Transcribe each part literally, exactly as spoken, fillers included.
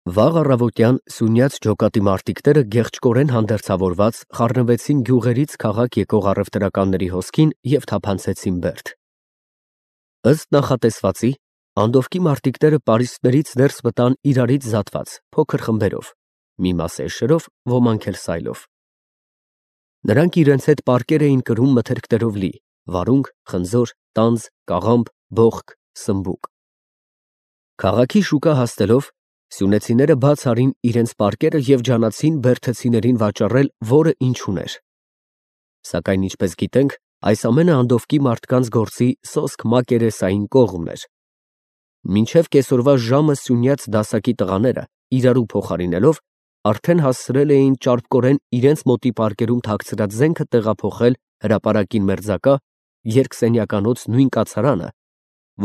Վաղ առավոտյան սյունյաց ջոկատի մարտիկները գեղեցկորեն հանդերձավորված խառնվեցին գյուղերից քաղաք եկող առևտրականների հոսքին և թափանցեցին Բերդ։ Ըստ նախատեսվածի, Անդովկի մարտիկները պարիսպներից ներս մտան իրարից զատված փոքր խմբերով, մի մաս էշերով, ոմանք էլ սայլով։ Նրանք իրենց հետ պարկեր էին կրում մթերքներով լի, վարունգ, խնձոր, տանձ, կաղամբ, բոխկ, սմբուկ։ Քաղաքի շուկա հասնելով, սյունեցիները բաց արին իրենց պարկերը և ջանացին բերդեցիներին վաճառել որը ինչ ուներ։ Սակայն ինչպես գիտենք, այս ամենը Անդովկի մարդկանց գործի սոսկ մակերեսային կողմն էր։ Մինչև կեսօրվա ժամը սյունյաց դասակի տղաները, իրարու փոխարինելով, արդեն հասցրել էին ճարպկորեն իրենց մոտի պարկերում թաքցրած զենքը տեղափոխել հրապարակին մերձակա երկսենյականոց նույն կացարանը,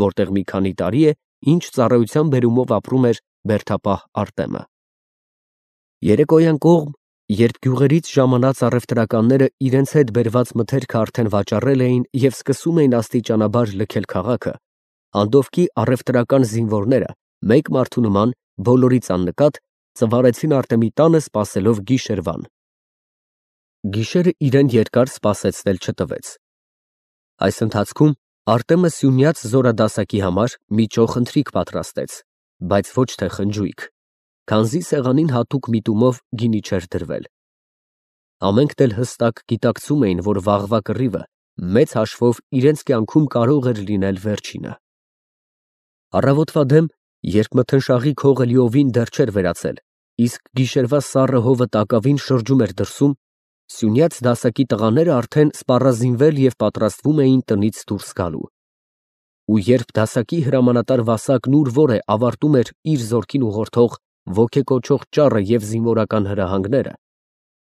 որտեղ մի քանի տարի է, ինչ ծառայության բերումով ապրում էր բերդապահ Արտեմը։ Երեկոյան կողմ, երբ գյուղերից ժամանած առևտրականները իրենց հետ բերված մթերքը արդեն վաճառել էին և սկսում էին աստիճանաբար լքել քաղաքը, Անդովկի առևտրական զինվորները, մեկ մարդու նման, բոլորից աննկատ, ծվարեցին Արտեմի տանը սպասելով գիշերվան։ Գիշերը իրեն երկար սպասեցնել չտվեց։ Այս ընթացքում Արտեմը սյունյաց զորադասակի համար մի ճոխ ընթրիք պատրաստեց, բայց ոչ թե խնջույք, քանզի սեղանին հատուկ միտումով գինի չէր դրվել։ Ամենքն էլ հստակ գիտակցում էին, որ վաղվա կռիվը մեծ հաշվով իրենց կյանքում կարող էր լինել վերջինը։ Առավոտվա դեմ, երբ մթնշաղի քողը լիովին դեռ չէր վերացել, իսկ գիշերվա սառը հովը տակավին շրջում էր դրսում, սյունյաց դասակի տղաները արդեն սպառազինվել և պատրաստվում էին տնից դուրս գալու։ Ու երբ դասակի հրամանատար Վասակն ուր որ է ավարտում էր իր զորքին ուղղորդող ոգեկոչող ճառը և զինվորական հրահանգները,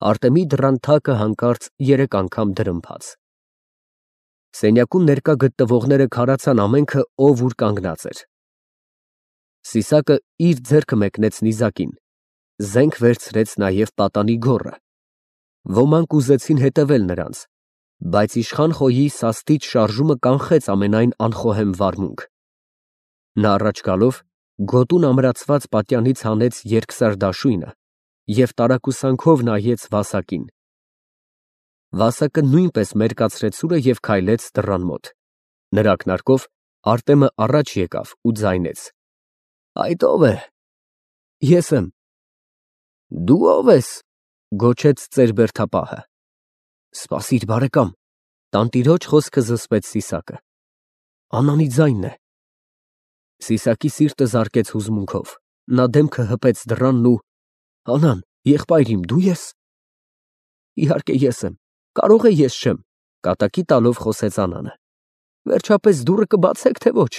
Արտեմի դռան թակը հանկարծ երեք անգամ դրմփաց։ Սենյակում ներկա գտնվողները քարացան ամենքը, ով ուր կանգնած էր։ Սիսակը իր ձեռքը մեկնեց նիզակին, զենք վերցրեց նաև պատանի գոռը։ Ոմանք ուզեցին հետևել նրանց, բայց իշխան Խոյի սաստիչ շարժումը կանխեց ամենայն անխոհեմ վարմունք։ Նա առաջ գալով, գոտուն ամրացված պատյանից հանեց երկսար դաշույնը և տարակուսանքով նայեց Վասակին։ Վասակը նույնպես մերկացրեց սուրը և քայլեց դռան մոտ։ Նրա ակնարկով Արտեմը առաջ եկավ ու ձայնեց. «Այդ ո՞վ է»։ «Ես եմ»։ «Դու ո՞վ ես», գոչեց ծեր-բերդապահը։ «Սպասիր, բարեկամ»։ Տանտիրոջ խոսքը զսպեց Սիսակը։ «Անանի ձայնն է»։ Սիսակի սիրտը զարկեց հուզմունքով, նա դեմքը հպեց դռանն ու… «Անան, եղբայր իմ, դու ե՞ս»։ «Իհարկե ես եմ, կարող է ես չեմ», կատակի տալով խոսեց Անանը։ «Վերջապես դուռը կբացեք, թե ոչ»։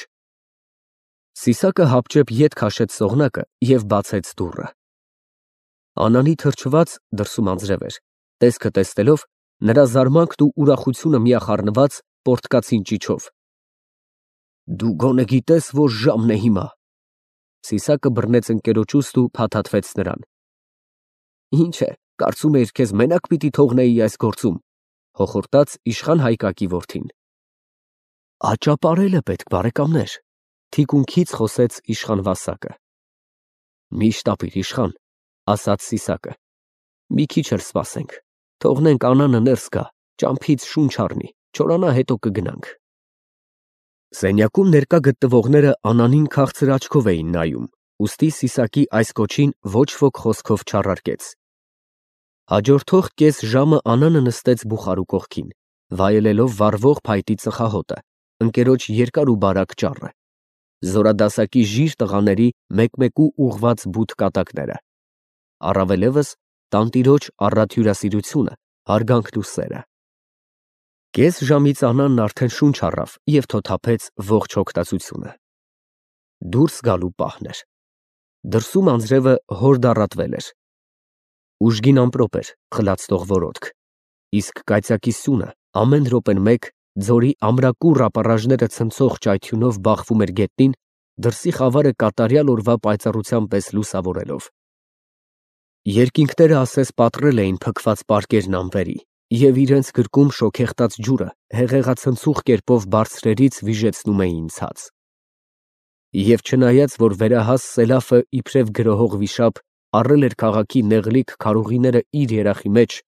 Սիսակը հապճեպ ետ քաշեց սողնակը և բացեց դուռը։ Անանի թրջված (դրսում անձրև էր) տեսքը տեսնելով, նրա զարմանքն ու ուրախությունը միախառնված, պոռթկացին ճիչով։ «Դու գոնե գիտես, որ ժամն է հիմա»։ Սիսակը բռնեց ընկերոջ ուստը ու փաթաթվեց նրան։ «Ինչ է, կարծում էիր, քեզ մենակ պիտի թողնեի այս գործում», հոխորտաց իշխան Հայկակի որդին։ «Աճապարել է պետք, բարեկամներ», թիկունքից խոսեց իշխան Վասակը։ «Մի շտապիր, իշխան», ասաց Սիսակը։ «Մի քիչ էլ սպասենք, թողնենք Անանը ներս գա, ճամփից շունչ առնի, չորանա հետո կգնանք»։ Սենյակում ներկա գտնվողները Անանին քաղցր աչքով էին նայում, ուստի Սիսակի այս կոչին ոչ ոք խոսքով չառարկեց։ Հաջորդող կես ժամը Անանը նստեց բուխարու կողքին, վայելելով վառվող փայտի ծխահոտը, ընկերոջ երկար ու բարակ ճառը, զորադասակի ժիր տղաների մեկ֊մեկու ուղղված բութ կատակները, առավելևս տանտիրոջ առատ հյուրասիրությունը, հարգանքն ու սերը։ Կես ժամից Անանն արդեն շունչ առավ և թոթափեց ողջ հոգտածությունը։ Դուրս գալու պահն էր։ Դրսում անձրևը հորդառատվել էր։ Ուժգին ամպրոպ էր, խլացնող որոտք, իսկ կայծակի սյունը ամեն րոպեն մեկ, ձորի ամրակուռ ապառաժները ցնցող ճայթյունով բախվում էր գետնին, դրսի խավարը կատարյալ օրվա պայծառության պես լուսավորելով։ Երկինքները ասես պատռել էին փքված պարկերն ամպերի, և իրենց գրկում շոգեխտած ջուրը հեղեղացնցուղ կերպով բարձրերից վիժեցնում էին ցած։ Եվ չնայած, որ վերահաս Սելաֆը իբրև գրոհող վիշապ առել էր քաղաքի նեղլիկ քարուղիները իր երախի մեջ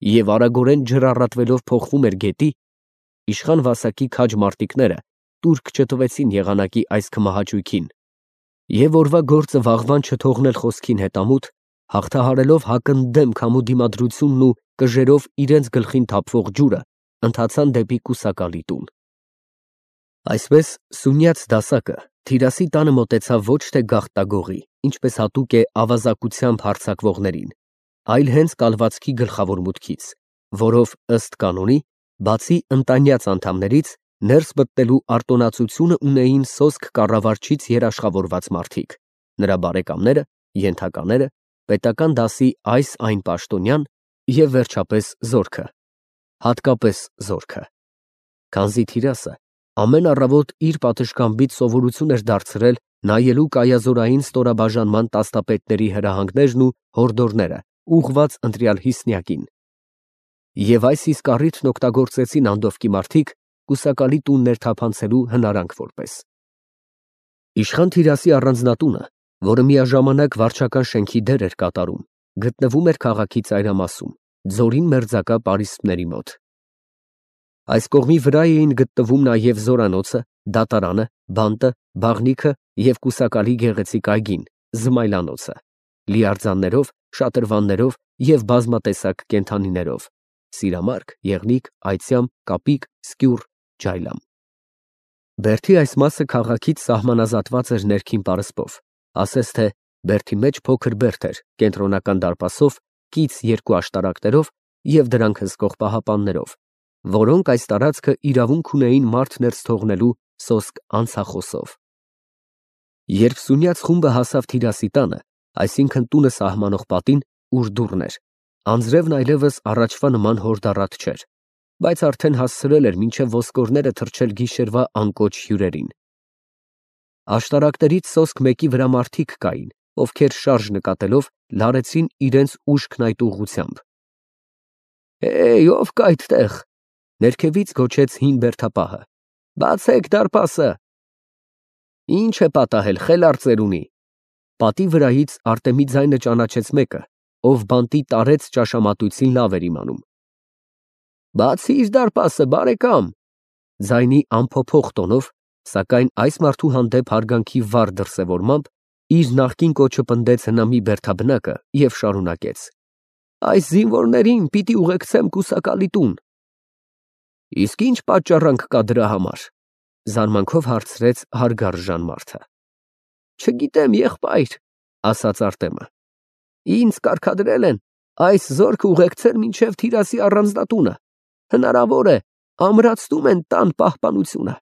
և արագորեն ջրառատվելով փոխվում էր գետի, իշխան Վասակի քաջ մարտիկները տուրք չտվեցին եղանակի այս քմահաճույքին և օրվա գործը վաղվան չթողնել խոսքին հետամուտ, հաղթահարելով հակընդդեմ քամու դիմադրությունն ու կժերով իրենց գլխին թափվող ջուրը, ընթացան դեպի կուսակալի տուն։ Այսպես սունյաց դասակը Թիրասի տանը մոտեցավ ոչ թե գաղտագողի, ինչպես հատուկ է ավազակությամբ հարձակվողներին, այլ հենց կալվածքի գլխավոր մուտքից, որով ըստ կանոնի, բացի ընտանյաց անդամներից, ներս մտնելու արտոնացությունը ունեին սոսկ կառավարչից երաշխավորված մարդիկ, նրա բարեկամները, ենթակաները, պետական դասի այս այն պաշտոնյան և վերջապես զորքը, հատկապես զորքը, քանզի Թիրասը ամեն առավոտ իր պատշգամբից սովորություն էր դարձրել նայելու կայազորային ստորաբաժանման տաստապետների հրահանգներն ու հորդորները ուղղված ընտրյալ հիսնյակին, և այս իսկ առիթն օգտագործեցին անդովկի մարդիկ կուսակալի տուն ներթափանցելու հնարանք որպես։ Իշխան Թիրասի առանձնատունը, որը միաժամանակ վարչական շենքի դեր էր կատարում, գտնվում էր քաղաքի ծայրամասում, ձորին մերձակա պարիսպների մոտ։ Այս կողմի վրա էին գտնվում նաև զորանոցը, դատարանը, բանտը, բաղնիքը և կուսակալի գեղեցիկ այգին, զմայլանոցը, լիարձաններով, շատրվաններով և բազմատեսակ կենդանիներով՝ սիրամարգ, եղնիկ, այծյամ, կապիկ, սկյուռ, ջայլամ։ Բերդի այս մասը քաղաքից սահմանազատված էր ներքին պարսպով, ասես թե բերդի մեջ փոքր բերդ էր կենտրոնական դարպասով, կից երկու աշտարակներով և դրանք հսկող պահապաններով, որոնք այս տարածքը իրավունք ունեին մարդ ներս թողնելու սոսկ անցախոսով։ Երբ սունյաց խումբը հասավ Թիրասի տանը, այսինքն տունը սահմանող պատին, ուր դուռն էր, անձրևն այլևս առաջվա նման հորդառատ չէր, բայց արդեն հասցրել էր մինչև ոսկորները թռչել գիշերվա անկոչ հյուրերին։ Աշտարակներից սոսկ մեկի վրա մարդիկ կային, ովքեր շարժ նկատելով լարեցին իրենց ուշքն այդ ուղղությամբ։ «Հեյ, ո՞վ կա այդտեղ», ներքևից գոչեց հին բերդապահը։ «Բացեք դարպասը»։ «Ի՞նչ է պատահել, խելառ ծերունի»։ Պատի վրայից Արտեմի ձայնը ճանաչեց մեկը, ով բանտի տարեց ճաշամատույցին լավ էր իմանում։ «Բացիր դարպասը, բարեկամ», ձայնի անփոփոխ տոնով, սակայն այս մարդու հանդեպ հարգանքի վառ դրսևորմամբ, իր նախկին կոչը պնդեց հնամի բերդաբնակը և շարունակեց. «Այս զինվորներին պիտի ուղեկցեմ կուսակալի տուն»։ «Իսկ ի՞նչ պատճառանք կա դրա համար», զարմանքով հարցրեց հարգարժան մարդը։ «Չգիտեմ, եղբայր», ասաց Արտեմը։ «Ինձ կարգադրել են այս զորքը ուղեկցել մինչև Թիրասի առանձնատունը, հնարավոր է, ամրացնում են տան պահպանությունը։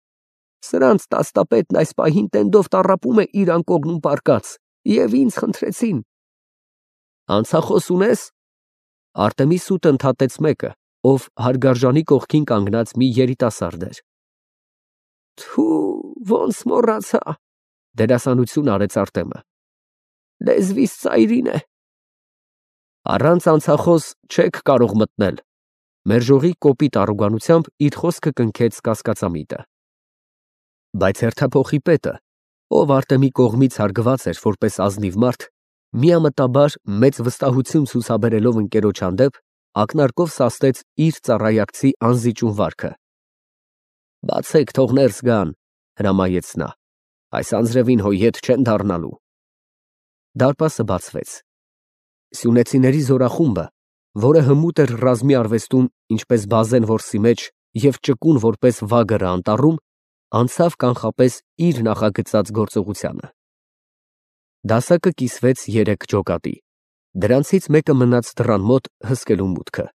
Սրանց տաստապետն այս պահին տենդով տառապում է իր անկողնում պառկած, և ինձ խնդրեցին»։ «Անցախոս ունե՞ս»։ Արտեմի սուտը ընդհատեց մեկը, ով հարգարժանի կողքին կանգնած մի երիտասարդ էր։ «Թու, ոնց մոռացա», դերասանություն արեց Արտեմը։ «Լեզվիս ծայրին է»։ «Առանց անցախոս չեք կարող մտնել», մերժողի կոպիտ առոգանությամբ իր խոսքը կնքեց կասկածամիտը։ Բայց հերթափոխի պետը, ով Արտեմի կողմից հարգված էր որպես ազնիվ մարդ, միամտաբար մեծ վստահություն ցուցաբերելով ընկերոջ հանդեպ, ակնարկով սաստեց իր ծառայակցի անզիջում վարքը։ «Բացեք, թող ներս գան», հրամայեց նա, «այս անձրևին հո ետ չեն դառնալու»։ Դարպասը բացվեց։ Սյունեցիների զորախումբը, որը հմուտ էր ռազմի արվեստում ինչպես բազեն որսի մեջ և ճկուն որպես վագրը անտառում, անցավ կանխապես իր նախագծած գործողությանը։ Դասակը կիսվեց երեք ջոկատի, դրանցից մեկը մնաց դռան մոտ հսկելու մուտքը,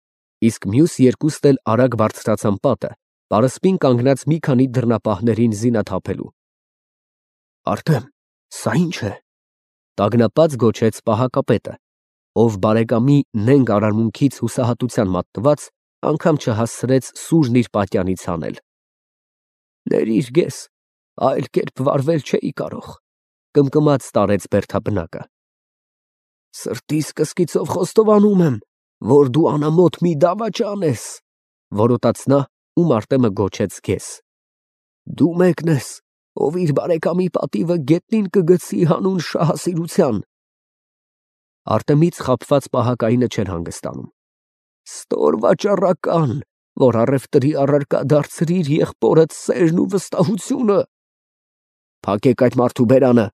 իսկ մյուս երկուսն էլ արագ բարձրացան պատը, պարսպին կանգնած մի քանի դռնապահներին զինաթափելու։ «Արտեմ, սա ի՞նչ է», տագնապած գոչեց պահակապետը, ով բարեկամի նենգ արարմունքից հուսահատության մատնված, անգամ չհասցրեց սուրն իր պատյանից հանել։ «Ներիր գես, այլ կերպ վարվել չէի կարող», կմկմաց տարեց բերդաբնակը։ «Սրտիս կսկիծով խոստովանում եմ, որ դու անամոթ մի դավաճան ես», որոտաց նա, ում Արտեմը գոչեց գես։ «Դու մեկն ես, ով իր բարեկամի պատիվը գետնին կգցի հանուն շահասիրության։ Արտեմից խաբված պահակայինը չէր հանգստանում։ Ստոր վաճառական, որ առևտրի առարկա դարձրիր եղբորդ սերն ու վստահությունը։ Փակեք այդ մարդու բերանը,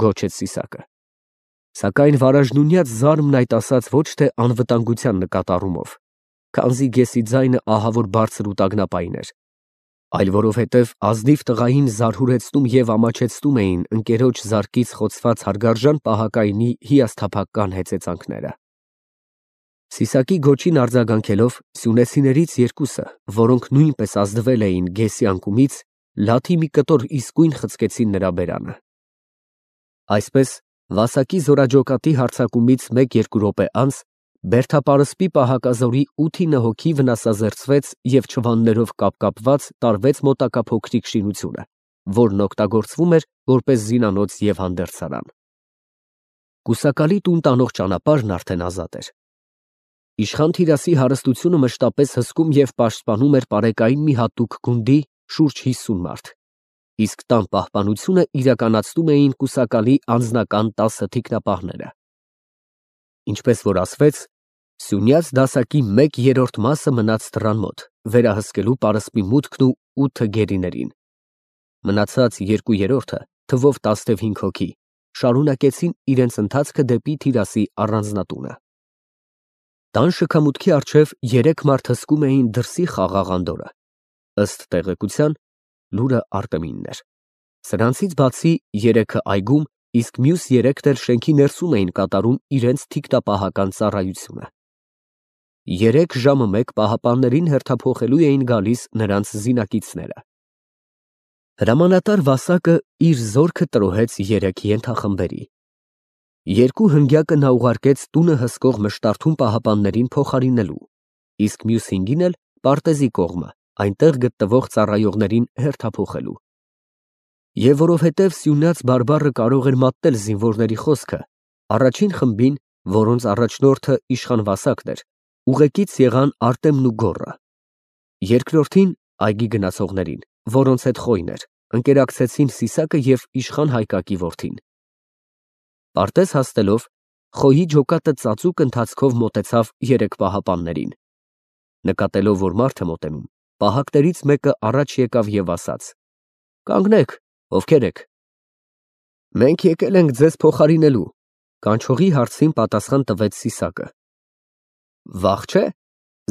գոչեց Սիսակը։ Սակայն վարաժնունյաց զարմն այդ ասաց ոչ թե անվտանգության նկատառումով, քանզի գեսի ձայնը ահավոր բարձր ու տագնապային էր, այլ որովհետև ազնիվ տղային զարհուրեցնում և ամաչեցնում էին ընկերոջ զարկից խոցված հարգարժան պահակայինի հիասթափական հեծեծանքները։ Սիսակի գոչին արձագանքելով սյունեցիներից երկուսը, որոնք նույնպես ազդվել էին գեսի անկումից, լաթի մի կտոր իսկույն խցկեցին նրա բերանը։ Այսպես Վասակի զորաջոկատի հարձակումից մեկ-երկու րոպե անց Բերդապարսպի պահակազորի ութինը հոգի վնասազերծվեց և չվաններով կապկապված տարվեց մոտակա փոքրիկ շինությունը, որն օգտագործվում էր որպես զինանոց և հանդերձարան։ Կուսակալի տուն տանող ճանապարհն արդեն ազատ էր։ Իշխան Թիրասի հարստությունը մշտապես հսկում և պաշտպանում էր պարեկային մի հատուկ գունդի շուրջ հիսուն մարդ, իսկ տան պահպանությունը իրականացնում էին կուսակալի անձնական տասը թիկնապահները։ Ինչպես որ ասվեց, սյունյաց դասակի մեկ երրորդ մասը մնաց դռան մոտ, վերահսկելու պարսպի մուտքն ու ութը գերիներին։ Մնացած երկու երրորդը, թվով տասնհինգ հոգի, շարունակեցին իրենց ընթացքը դեպի Թիրասի առանձնատունը։ Տան շքամուտքի առջև երեք մարդ հսկում էին դրսի խաղաղ անդորրը։ Ըստ տեղեկության, լուրը Արտեմինն էր։ Սրանցից բացի երեքը այգում, իսկ մյուս երեքն էլ շենքի ներսում էին կատարում իրենց թիկնապահական ծառայությունը։ Երեք ժամը մեկ պահապաններին հերթափոխելու էին գալիս նրանց զինակիցները։ Հրամանատար Վասակը իր զորքը տրոհեց երեք ենթախմբերի։ Երկու հնգյակը նա ուղարկեց տունը հսկող մշտարթուն պահապաններին փոխարինելու, իսկ մյուս հինգին էլ պարտեզի կողմը, այնտեղ գտնվող ծառայողներին հերթափոխելու։ Եվ որովհետև Սյունյաց բարբառը կարող էր մատնել զինվորների խոսքը, առաջին խմբին, որոնց առաջնորդը իշխան Վասակն էր, ուղեկից եղան Արտեմն ու Գոռը։ Երկրորդին այգի գնացողներին, որոնց հետ խոյն էր, ընկերակցեցին Սիսակը և իշխան Հայկակի որդին։ Պարտեզ հասնելով, խոյի ջոկատը ծածուկ ընթացքով մոտեցավ երեք պահապաններին։ Նկատելով, որ մարդ է մոտենում, պահակներից մեկը առաջ եկավ և ասաց. «Կանգնեք, ովքեր եք»։ «Մենք եկել ենք ձեզ փոխարինելու», կանչողի հարցին պատասխան տվեց Սիսակը։ «Վաղ չէ՞»,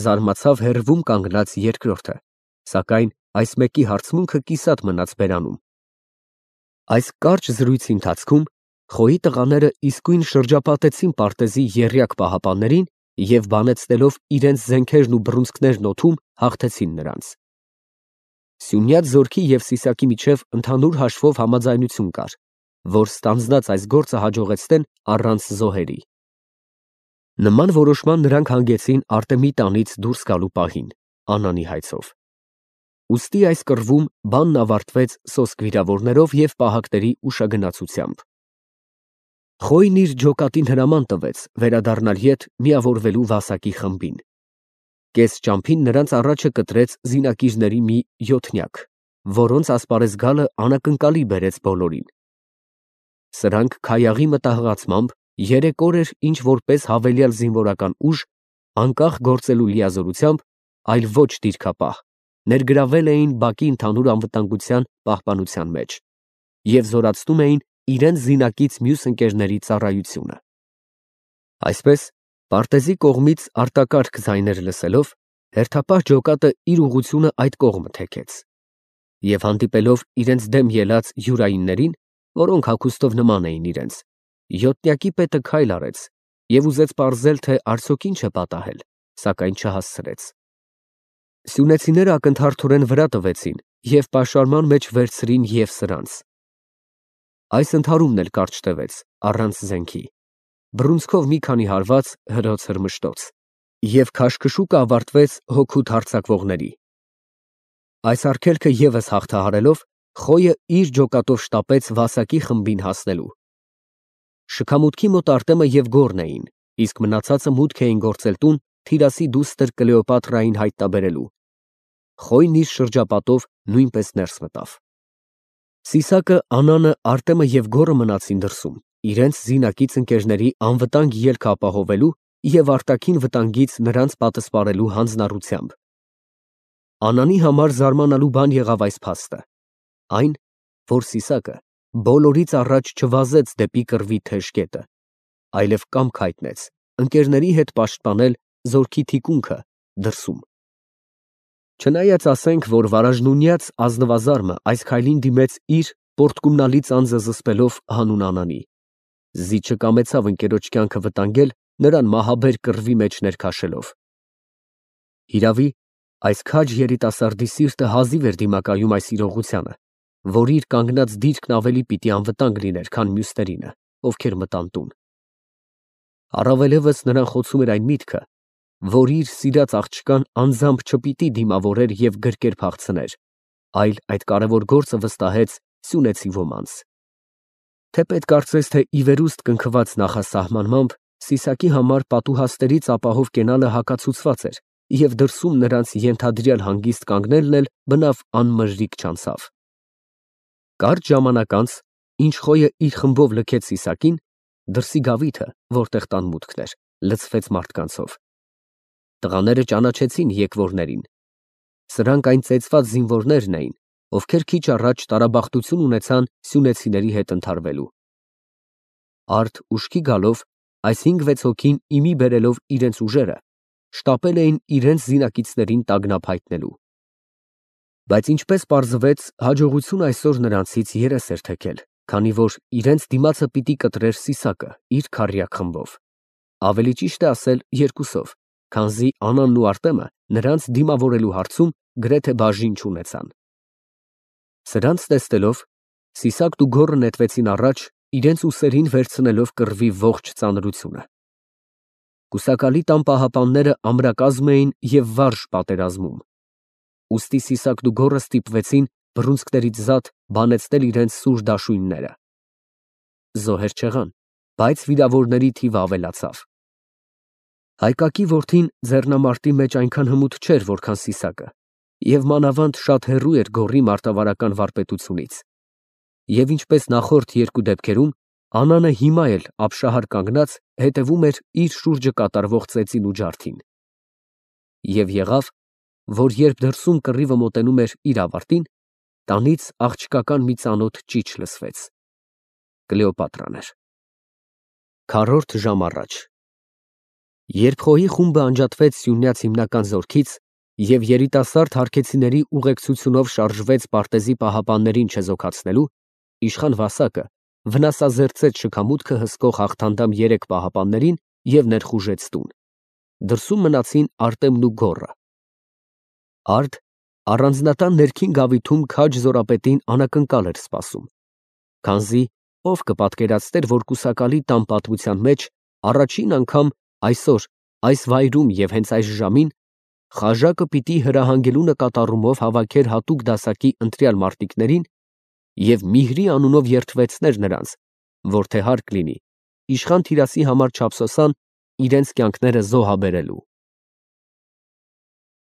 զարմացավ հեռվում կանգնած երկրորդը, սակայն այս մեկի հարցմունքը կիսատ մնաց բերանում։ Այս կարճ զրույցի ընթացքում խոյի տղաները իսկույն շրջապատեցին պարտեզի եռյակ պահապաններին և բանեցնելով իրենց զենքերն ու բռունցքներն օդում, հաղթեցին նրանց։ Սյունյաց զորքի և Սիսակի միջև ընդհանուր հաշվով համաձայնություն կար, որ ստանձնած այս գործը հաջողեցնեն առանց զոհերի։ Նման որոշման նրանք հանգեցին Արտեմի տանից դուրս գալու պահին, Անանի հայցով։ Ուստի այս կռվում բանն ավարտվեց սոսկ վիրավորներով և պահակների ուշագնացությամբ։ Խոյն իր ջոկատին հրաման տվեց վերադառնալ ետ միավորվելու Վասակի խմբին։ Կես ճամփին նրանց առաջը կտրեց զինակիրների մի յոթնյակ, որոնց ասպարեզ գալը անակնկալի բերեց բոլորին։ Սրանք քայաղի մտահղացմամբ երեք օր էր ինչ որպես հավելյալ զինվորական ուժ, անկախ գործելու լիազորությամբ, այլ ոչ դիրքապահ, ներգրավել էին բակի ընդհանուր անվտանգության պահպանության մեջ և զորացնում էին իրենց զինակից մյուս ընկերների ծառայությունը։ Այսպես, պարտեզի կողմից արտակարգ ձայներ լսելով, հերթապահ ջոկատը իր ուղղությունը այդ կողմը թեքեց և հանդիպելով իրենց դեմ ելած յուրայիններին, որոնք հագուստով նման էին իրենց, յոթնյակի պետը քայլ արեց և ուզեց պարզել, թե արդյոք ինչ է պատահել, սակայն չհասցրեց։ Սյունեցիները ակնթարթորեն վրա տվեցին և պաշարման մեջ վերցրին և սրանց։ Այս ընդհարումն էլ կարճ տևեց, առանց զենքի, բռունցքով մի քանի հարված հրոց֊հրմշտոց, և քաշքշուկը ավարտվեց հոգուտ հարձակվողների։ Այս արգելքը ևս հաղթահարելով, Խոյը իր ջոկատով շտապեց Վասակի խմբին հասնելու։ Շքամուտքի մոտ Արտեմը և Գոռն էին, իսկ մնացածը մուտք էին գործել տուն Թիրասի դուստր Կլեոպատրային հայտնաբերելու։ Խոյն իր շրջապատով նույնպես ներս մտավ։ Սիսակը, Անանը, Արտեմը և Գոռը մնացին դրսում, իրենց զինակից ընկերների անվտանգ ելքը ապահովելու և արտաքին վտանգից նրանց պատսպարելու հանձնառությամբ։ Անանի համար զարմանալու բան եղավ այս փաստը. այն, որ Սիսակը բոլորից առաջ չվազեց դեպի կռվի թեժ կետը, այլև կամք հայտնեց ընկերների հետ պաշտպանել զորքի թիկունքը դրսում։ Չնայած ասենք, որ վարաժնունյաց ազնվազարմը այս քայլին դիմեց իր պորտկումնալի ծանձը զսպելով հանուն Անանի, զիջը կամեցավ ընկերոջ կյանքը վտանգել նրան մահաբեր կռվի մեջ ներքաշելով։ Հիրավի, այս քաջ երիտասարդի սիրտը հազիվ էր դիմակայում այս իրողությանը, որ իր կանգնած դիրքն ավելի պիտի անվտանգ լիներ, քան մյուսներինը, ովքեր մտան տուն։ Առավելևս նրան խոցում էր այն միտքը, որ իր սիրած աղջկան անձամբ չպիտի դիմավորեր և գրկեր փախցներ, այլ այդ կարևոր գործը վստահեց սյունեցի ոմանց։ Թե պետք կարծես, թե ի վերուստ կնքված նախասահմանմամբ Սիսակի համար պատուհաստերից ապահով կենալը հակացուցված էր, և դրսում նրանց ենթադրյալ հանգիստ կանգնելն էլ բնավ անմրրիկ չանցավ։ Կարճ ժամանակ անց, ինչ Խոյը իր խմբով լքեց Սիսակին, դրսի գավիթը, որտեղ տան մուտքն էր, լցվեց մարդկանցով։ Տղաները ճանաչեցին եկվորներին։ Սրանք այն ծեծված զինվորներն էին, ովքեր քիչ առաջ տարաբախտություն ունեցան սյունեցիների հետ ընդհարվելու։ Արդ ուշքի գալով, այս հինգ֊վեց հոգին իմի բերելով իրենց ուժերը, շտապել էին իրենց զինակիցներին տագնապ հայտնելու։ Բայց ինչպես պարզվեց, հաջողությունը այսօր նրանցից երես էր թեքել, քանի որ իրենց դիմացը պիտի կտրեր Սիսակը իր քառյակ խմբով, ավելի ճիշտ է ասել երկուսով, քանզի Անանն ու Արտեմը նրանց դիմավորելու հարցում գրեթե բաժին չունեցան։ Սրանց տեսնելով, Սիսակն ու Գոռը նետվեցին առաջ, իրենց ուսերին վերցնելով կռվի ողջ ծանրությունը։ Կուսակալի տան պահապանները ամրակազմ էին և վարժ պատերազմում։ Ուստի Սիսակն ու Գոռը ստիպվեցին բռունցքներից զատ բանեցնել իրենց սուր դաշույնները։ Զոհեր չեղան, բայց վիրավորների թիվը ավելացավ։ Հայկակի որդին ձեռնամարտի մեջ այնքան հմուտ չէր, որքան Սիսակը, և մանավանդ շատ հեռու էր Գոռի մարտավարական վարպետությունից։ Եվ ինչպես նախորդ երկու դեպքերում, Անանը հիմա էլ ապշահար կանգնած հետևում էր իր շուրջը կատարվող ծեծին ու ջարդին։ Եվ եղավ, որ երբ դրսում կռիվը մոտենում էր իր ավարտին, տանից աղջկական մի ծանոթ ճիչ լսվեց։ Կլեոպատրան էր։ Քառորդ ժամ առաջ Երբ Խոյի խումբը անջատվեց Սյունյաց հիմնական զորքից և երիտասարդ հարքեցիների ուղեկցությունով շարժվեց Պարտեզի պահապաններին չեզոքացնելու, իշխան Վասակը վնասազերծեց շքամուտքը հսկող հաղթանդամ երեք պահապաններին և ներխուժեց տուն։ Դրսում մնացին Արտեմն ու Գոռը։ Արդ առանձնատան ներքին գավիթում քաջ զորապետին անակնկալ էր սպասում, քանզի ով կպատկերացներ, որ կուսակալի տան պատմության մեջ առաջին անգամ այսօր, այս վայրում և հենց այս ժամին խաժակը պիտի հրահանգելու նկատառումով հավաքեր հատուկ դասակի ընտրյալ մարտիկներին և Միհրի անունով երդվեցներ նրանց, որ թե հարկ լինի, իշխան Թիրասի համար չափսոսան իրենց կյանքները զոհաբերելու։